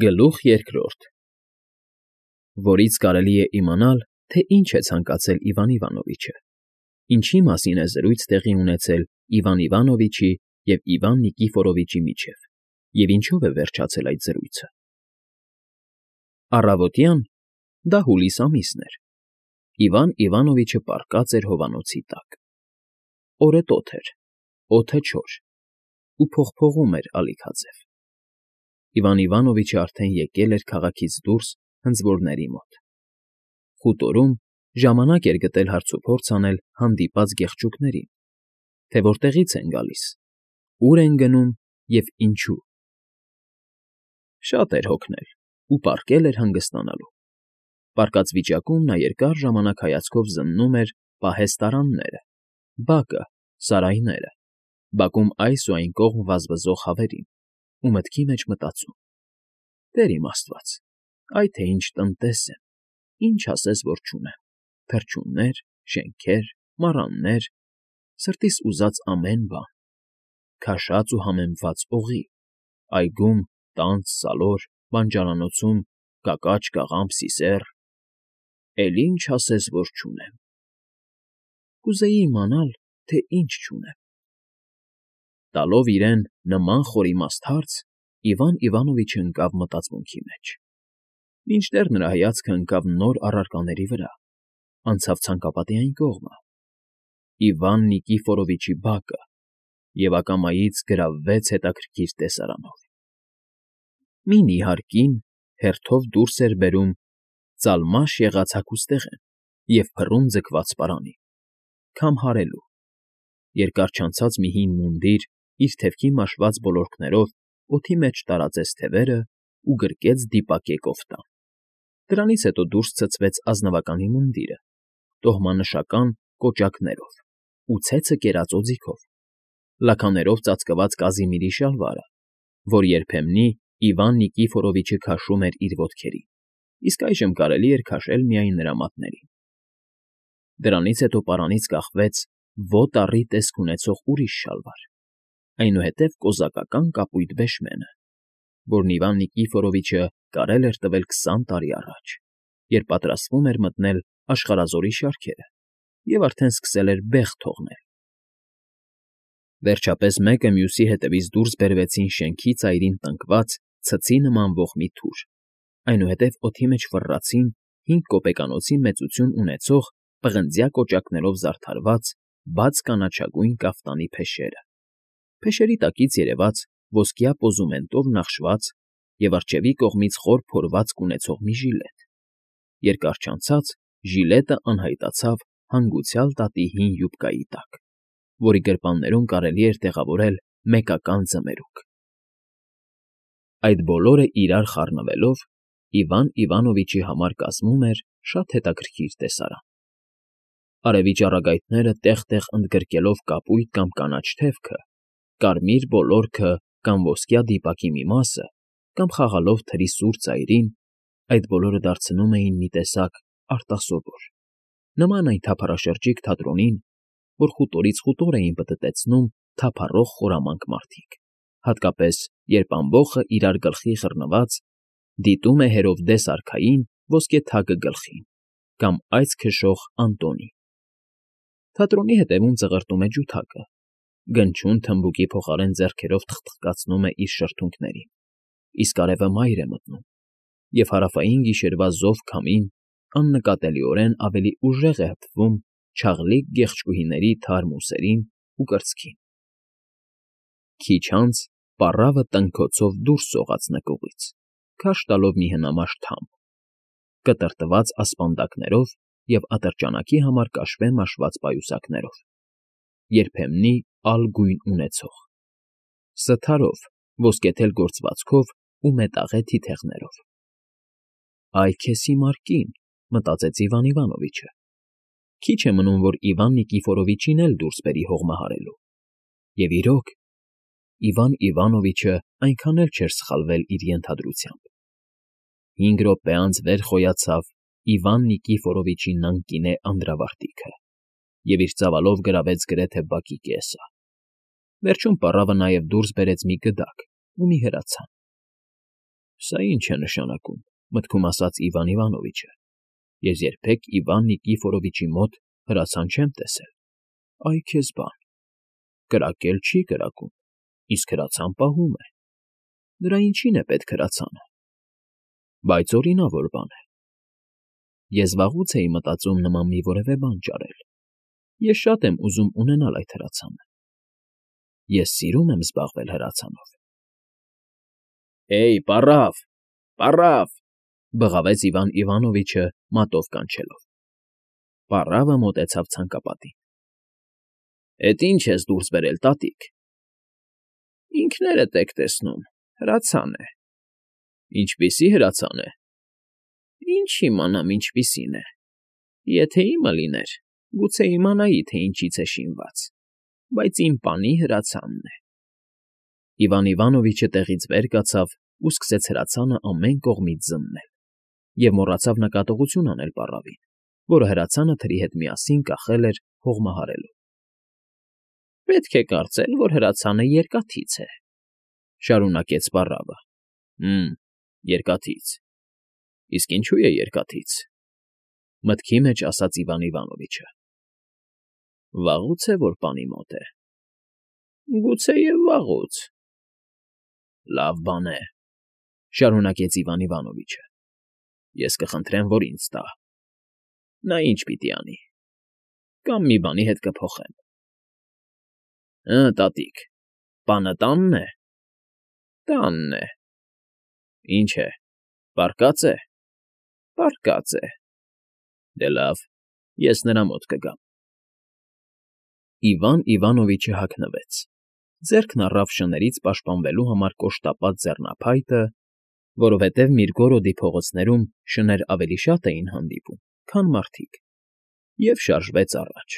Գլուխ երկրորդ Որից կարելի է իմանալ, թե ինչ է ցանկացել Իվան Իվանովիչը, ինչի մասին է զրույց տեղի ունեցել Իվան Իվանովիչի և Իվան Նիկիֆորովիչի միջև, և ինչով է վերջացել այդ զրույցը։ Առավոտյան, դա հուլիս ամիսն էր, Իվան Իվանովիչը պառկած էր հովանոցի տակ։ Օրը տոթ էր, օդը չոր, ու փողփողում էր ալիքաձև։ Իվան Իվանովիչը արդեն եկել էր քաղաքից դուրս հնձորների մոտ։ Խուտորում ժամանակ էր գտել հարցուփորձ անել հանդիպած գեղեցկուկներին, թե որտեղից են գալիս, ուր են գնում և ինչու։ Շատ էր հոգնել ու պառկել էր հանգստանալու։ Պառկած վիճակում նա երկար ժամանակ հայացքով զննում էր պահեստարանները, բակը, սարայները, բակում այս ու այն կողմ վազվզող հավերին ու մտքի մեջ մտածում. «Տեր իմ Աստված, այ թե ինչ տնտես եմ, ինչ ասես որ չունեմ, թռչուններ, շենքեր, մառաններ, սրտիս ուզած ամեն բան, քաշած ու համեմված օղի, այգում տանձ, սալոր, բանջարանոցում կակաչ, կաղամբ, սիսեռ, էլ ինչ ասես որ չունեմ։ Կուզեի իմանալ, թե ինչ չունեմ»։ Տալով իրեն նման խորիմաստ հարց, Իվան Իվանովիչը ընկավ մտածմունքի մեջ։ Մինչդեռ նրա հայացքը ընկավ նոր առարկաների վրա, անցավ ցանկապատի այն կողմը՝ Իվան Նիկիֆորովիչի բակը, և ակամայից գրավվեց հետաքրքիր տեսարանով։ Մի նիհար կին հերթով դուրս էր բերում ծալմաշ եղած հագուստեղեն և փռում ձգված պարանին, քամ հարելու։ Երկար չանցած մի հին մունդիր իր թևքի մաշված ոլորքներով օդի մեջ տարածեց թևերը ու գրկեց դիպակե կոֆտան։ Դրանից հետո դուրս ցցվեց ազնվականի մունդիրը, տոհմանշական կոճակներով ու ցեցը կերած օձիքով, լաքաներով ծածկված կազիմիրի շալվարը, որ երբեմնի Իվան Նիկիֆորովիչը քաշում էր իր ոտքերին, իսկ այժմ կարելի էր քաշել միայն նրա մատներին։ Դրանից հետո պարանից կախվեց ոտ առի տեսք ունեցող ուրիշ շալվար, այնուհետև կոզակական կապույտ վեշմենը, որն Իվան Նիկիֆորովիչը կարել էր տվել 20 տարի առաջ, երբ պատրաստվում էր մտնել աշխարհազորի շարքերը և արդեն սկսել էր բեղ թողնել։ Վերջապես մեկը մյուսի հետևից դուրս բերվեցին շենքի ծայրին տնկված ցցի նման ողմի թուր, այնուհետև օդի մեջ ֆռռացին 5 կոպեկանոցի մեծություն ունեցող պղնձյա կոճակներով զարդարված բաց կանաչագույն կաֆտանի փեշերը, փեշերի տակից երևաց ոսկյա պոզումենտով նախշված և առջևի կողմից խոր փորվածք ունեցող մի ժիլետ։ Երկար չանցած ժիլետը անհայտացավ հանգուցյալ տատի հին յուբկայի տակ, որի գրպաններում կարելի էր տեղավորել մեկական ձմերուկ։ Այդ բոլորը իրար խառնվելով Իվան Իվանովիչի համար կազմում էր շատ հետաքրքիր տեսարան։ Արևի ճառագայթները տեղ֊տեղ ընդգրկելով կապույտ կամ կանաչ թևքը, կարմիր ոլորքը կամ ոսկյա դիպակի մի մասը, կամ խաղալով թրի սուր ծայրին, այդ բոլորը դարձնում էին մի տեսակ արտասովոր, նման այն թափառաշրջիկ թատրոնին, որ խուտորից խուտոր էին պտտեցնում թափառող խորամանկ մարդիկ, հատկապես երբ ամբոխը իրար գլխի խռնված դիտում է հերովդես արքային ոսկե թագը գլխին, կամ այծ քշող Անտոնին։ Թատրոնի հետևում ծղրտում է ջութակը, գնչուն թմբուկի փոխարեն ձեռքերով թխթխկացնում է իր շրթունքներին, իսկ արևը մայր է մտնում, և հարավային գիշերվա զով քամին աննկատելիորեն ավելի ուժեղ է հպվում չաղլիկ գեղեցկուհիների թարմ ուսերին ու կրծքին։ Քիչ անց պառավը տնքոցով դուրս սողաց նկուղից, քարշ տալով մի հնամաշ թամբ, կտրտված ասպանդակներով և ատրճանակի համար կաշվե մաշված պայուսակներով, երբեմնի ալ գույն ունեցող, սթարով, ոսկեթել գործվածքով ու մետաղե թիթեղներով։ «Այ քեզ հիմար կին», մտածեց Իվան Իվանովիչը, քիչ է մնում, որ Իվան Նիկիֆորովիչին էլ դուրս բերի հողմահարելու։ Եվ իրոք, Իվան Իվանովիչը այնքան էլ չէր սխալվել իր ենթադրությամբ։ 5 րոպե անց վեր խոյացավ Իվան Նիկիֆորովիչի նանկինե անդրավարտիքը և իր ծավալով գրավեց գրեթե բակի կեսը։ Վերջում պառավը նաև դուրս բերեց մի գդակ ու մի հրացան։ Սա ինչ է նշանակում, մտքում ասաց Իվան Իվանովիչը։ Ես երբեք Իվան Նիկիֆորովիչի մոտ հրացան չեմ տեսել։ Այ քեզ բան։ Կրակել չի կրակում, իսկ հրացան պահում է։ Դրա ինչին է պետք հրացանը։ Բայց օրինավոր բան է։ Ես վաղուց էի մտածում նման մի որևէ բան ճարել։ Ես շատ եմ ուզում ունենալ այդ հրացանը։ Ես սիրում եմ զբաղվել հրացանով։ Էյ, պառավ, պառավ, բղավեց Իվան Իվանովիչը մատով կանչելով։ Պառավը մոտեցավ ցանկապատին։ Էդ ինչ ես դուրս բերել, տատիկ։ Ինքներդ եք տեսնում, հրացան է։ Ինչպիսի հրացան է։ Ինչ իմանամ ինչպիսին է։ Եթե իմը լիներ, գուցե իմանայի, թե ինչից է շինված, բայց իմ պանի հրացանն է։ Իվան Իվանովիչը տեղից վեր կացավ ու սկսեց հրացանը ամեն կողմից զննել և մոռացավ նկատողություն անել պառավին, որը հրացանը թրի հետ միասին կախել էր հողմահարելով։ Պետք է կարծել, որ հրացանը երկաթից է, շարունակեց պառավը։ Երկաթից։ Իսկ ինչու է երկաթից։ Մտքի մեջ ասաց Իվան Իվանովիչը։ Վաղուց է, որ պանի մոտ է։ Գուցեև վաղուց։ Լավ բան է, շարունակեց Իվան Իվանովիչը։ Ես կխնդրեմ, որ ինձ տա։ Նա ինչ պիտի անի։ Կամ մի բանի հետ կփոխեմ։ Տատիկ, պանը տանն է։ Տանն է։ Ինչ է, պառկած է։ Պառկած է։ Դե լավ, ես նրա մոտ կգամ։ Իվան Իվանովիչը հագնվեց։ Ձեռքն առավ շներից պաշտպանվելու համար կոշտապատ ձեռնափայտը, որովհետև Միրգորոդի փողոցներում շներ ավելի շատ էին հանդիպում, քան մարդիկ, և շարժվեց առաջ։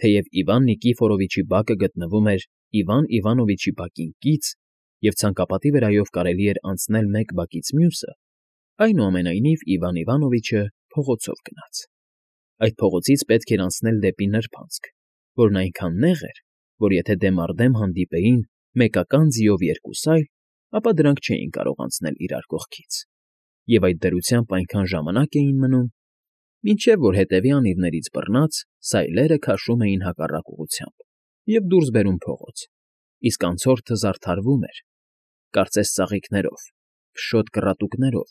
Թեև Իվան Նիկիֆորովիչի բակը գտնվում էր Իվան Իվանովիչի բակին կից, և ցանկապատի վրայով կարելի էր անցնել մեկ բակից մյուսը, այնուամենայնիվ Իվան Իվանովիչը փողոցով գնաց։ Այդ փողոցից պետք էր անցնել դեպի նրբանցք, որն այնքան նեղ էր, որ եթե դեմ առ դեմ հանդիպեին մեկական ձիով երկուս այլ, ապա դրանք չէին կարող անցնել իրար կողքից, և այդ դրությամբ այնքան ժամանակ էին մնում, մինչև որ հետևի անիվներից բռնած սայլերը քաշում էին հակառակ ուղղությամբ և դուրս բերում փողոց, իսկ անցորդը զարդարվում էր, կարծես ծաղիկներով, փշոտ կռատուկներով,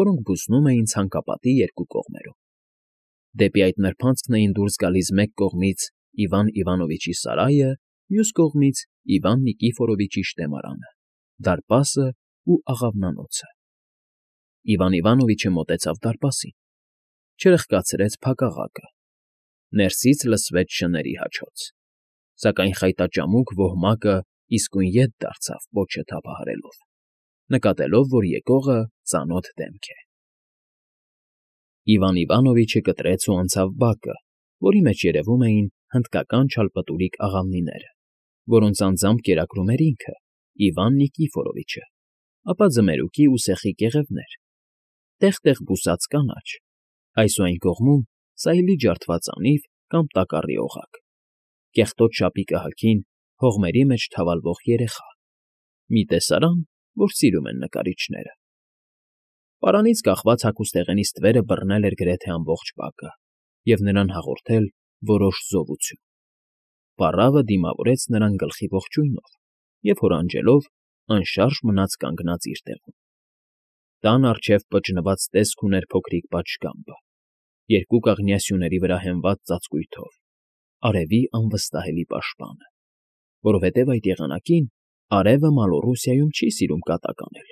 որոնք բուսնում էին ցանկապատի երկու կողմերում։ Դեպի այդ նրբանցքն էին դուրս գալիս մեկ կողմից Իվան Իվանովիչի սարայը, մյուս կողմից Իվան Նիկիֆորովիչի շտեմարանը, դարպասը ու աղավնանոցը։ Իվան Իվանովիչը մոտեցավ դարպասին, չրխկացրեց փակաղակը։ Ներսից լսվեց շների հաչոց, սակայն խայտաճամուկ ոհմակը իսկույն ետ դարձավ պոչը թափահարելով, նկատելով, որ եկողը ծանոթ դեմք է։ Իվան Իվանովիչը կտրեց ու անցավ բակը, որի մեջ երևում էին հնդկական չալպտուրիկ աղավնիները, որոնց անձամբ կերակրում էր ինքը, Իվան Նիկիֆորովիչը, ապա ձմերուկի ու սեխի կեղևներ, տեղ֊տեղ բուսած կանաչ, այս ու այն կողմում սայլի ջարդված անիվ կամ տակառի օղակ, կեղտոտ շապիկը հագին հողմերի մեջ թավալվող երեխա, մի տեսարան, որ սիրում են նկարիչները։ Պարանից կախված հագուստեղենի ստվերը բռնել էր գրեթե ամբողջ բակը և նրան հաղորդել որոշ զովություն։ Պառավը դիմավորեց նրան գլխի ողջույնով և հորանջելով անշարժ մնաց կանգնած իր տեղում։ Տան առջև պճնված տեսք ուներ փոքրիկ պատշգամբը, երկու կաղնյա սյուների վրա հենված ծածկույթով, արևի անվստահելի պաշտպանը, որովհետև այդ եղանակին արևը Մալոռուսիայում չի սիրում կատակ անել,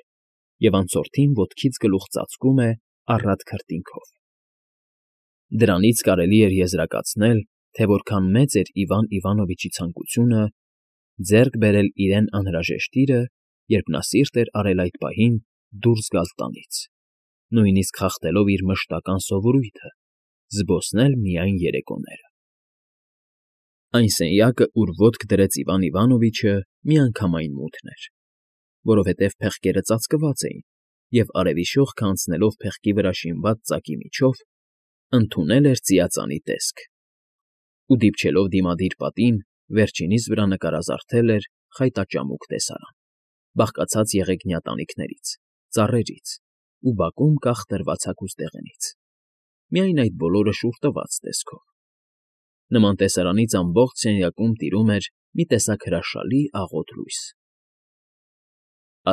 և անցորդին ոտքից գլուխ ծածկում է առատ քրտինքով։ Դրանից կարելի էր եզրակացնել, թե որքան մեծ էր Իվան Իվանովիչի ցանկությունը ձեռք բերել իրեն անհրաժեշտ իրը, երբ նա սիրտ էր արել այդ պահին դուրս գալ տանից, նույնիսկ խախտելով իր մշտական սովորույթը՝ զբոսնել միայն երեկոները։ Այն սենյակը, ուր ոտք դրեց Իվան Իվանովիչը, միանգամայն մութն էր, որովհետև փեղկերը ծածկված էին, և արևի շողքը անցնելով փեղկի վրա շինված ծակի միջով, ընդունել էր ծիածանի տեսք, ու դիպչելով դիմադիր պատին, վերջինիս վրա նկարազարդել էր խայտաճամուկ տեսարան, բաղկացած եղեգնյա տանիքներից, ծառերից ու բակում կախ տրված հագուստ դեղենից, միայն այդ բոլորը շուռ տված տեսքով։ Նման տեսարանից ամբողջ սենյակում տիրում էր մի տեսակ հրաշալի աղոտ լույս։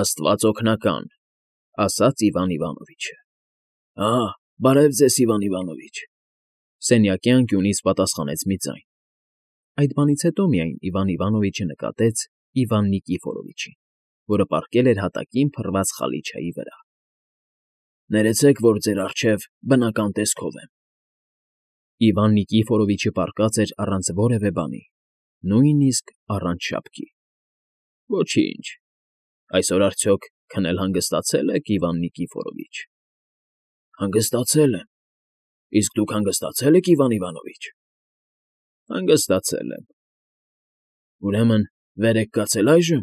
«Աստված օգնական,֊ ասաց Իվան Իվանովիչը։ Բարև ձեզ, Իվան Իվանովիչ,֊ սենյակի անկյունից պատասխանեց մի ձայն։ Այդ բանից հետո միայն Իվան Իվանովիչը նկատեց Իվան Նիկիֆորովիչին, որը պառկել էր հատակին փռված խալիչայի վրա։ «Ներեցեք, որ ձեր առջև բնական տեսքով եմ»։ Իվան Նիկիֆորովիչը պառկած էր առանց որևէ բանի, նույնիսկ առանց շապքի։ «Ոչինչ, այսօր արդյոք քնել հանգստացե՞լ եք, Իվան Նիկիֆորովիչ»։ «Հանգստացել եմ։ Իսկ դուք հանգստացե՞լ եք, Իվան Իվանովիչ»։ «Հանգստացել եմ»։ «Ուրեմն վեր եք կացել այժմ»։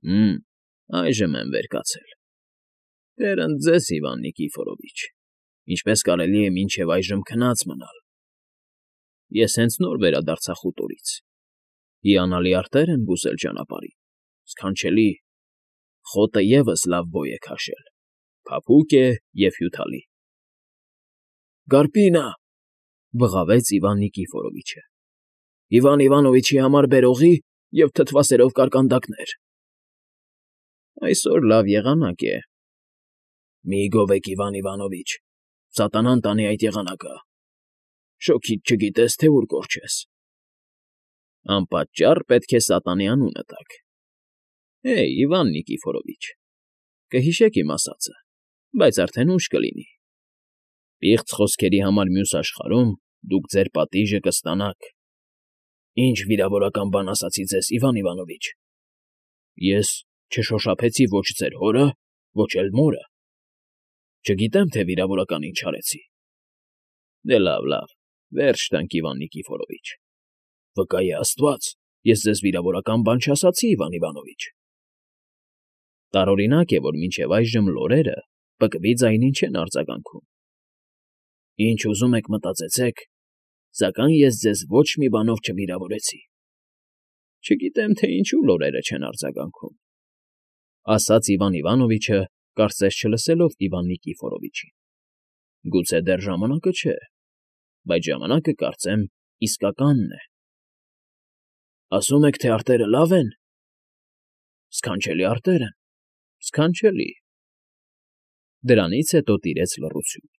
Այժմ եմ վեր կացել։ Տեր ընդ ձեզ, Իվան Նիկիֆորովիչ, ինչպես կարելի է մինչև այժմ քնած մնալ։ Ես հենց նոր վերադարձա խուտորից։ Հիանալի արտեր են բուզել ճանապարհին, սքանչելի, խոտը ևս լավ բոյ է քաշել, փափուկ է և հյութալի։ «Գարպինը,֊ բղավեց Իվան Նիկիֆորովիչը,֊ Իվան Իվանովիչի համար բերողի և թթվասերով կարկանդակներ»։ «Այսօր լավ եղանակ է»։ «Մի՛ գովեք, Իվան Իվանովիչ, սատանան տանի այդ եղանակը։ Շոգիդ չգիտես, թե ուր կորչես»։ «Անպատճառ պետք է սատանի անունը տաք։ Իվան Նիկիֆորովիչ, կհիշեք իմ ասածը, բայց արդեն ուշ կլինի։ Պիղծ խոսքերի համար մյուս աշխարհում դուք ձեր պատիժը կստանաք»։ «Ի՞նչ վիրավորական բան ասացի ձեզ, Իվան Իվանովիչ։ Ես չշոշափեցի ոչ ձեր հորը, ոչ էլ մորը։ Չգիտեմ, թե վիրավորական ինչ արեցի»։ «Դե լավ, վերջ տանք, Իվան Նիկիֆորովիչ»։ «Վկա է Աստված, ես ձեզ վիրավորական բան չասացի, Իվան Իվանովիչ»։ Տարօրինակ է, որ մինչև այժմ լորերը պկվի ձայնին չեն արձագանքում։ «Ինչ ուզում եք մտածեցեք, սակայն ես ձեզ ոչ մի բանով չվիրավորեցի»։ «Չգիտեմ, թե ինչու լորերը չեն արձագանքում», ասաց Իվան Իվանովիչը, կարծես չլսելով Իվան Նիկիֆորովիչին։ «Գուցե դեռ ժամանակը չէ, բայց ժամանակը, կարծեմ, իսկականն է»։ «Ասում եք, թե արտերը լավ են»։ «Սքանչելի արտեր են, սքանչելի»։ Դրանից հետո տիրեց լռություն։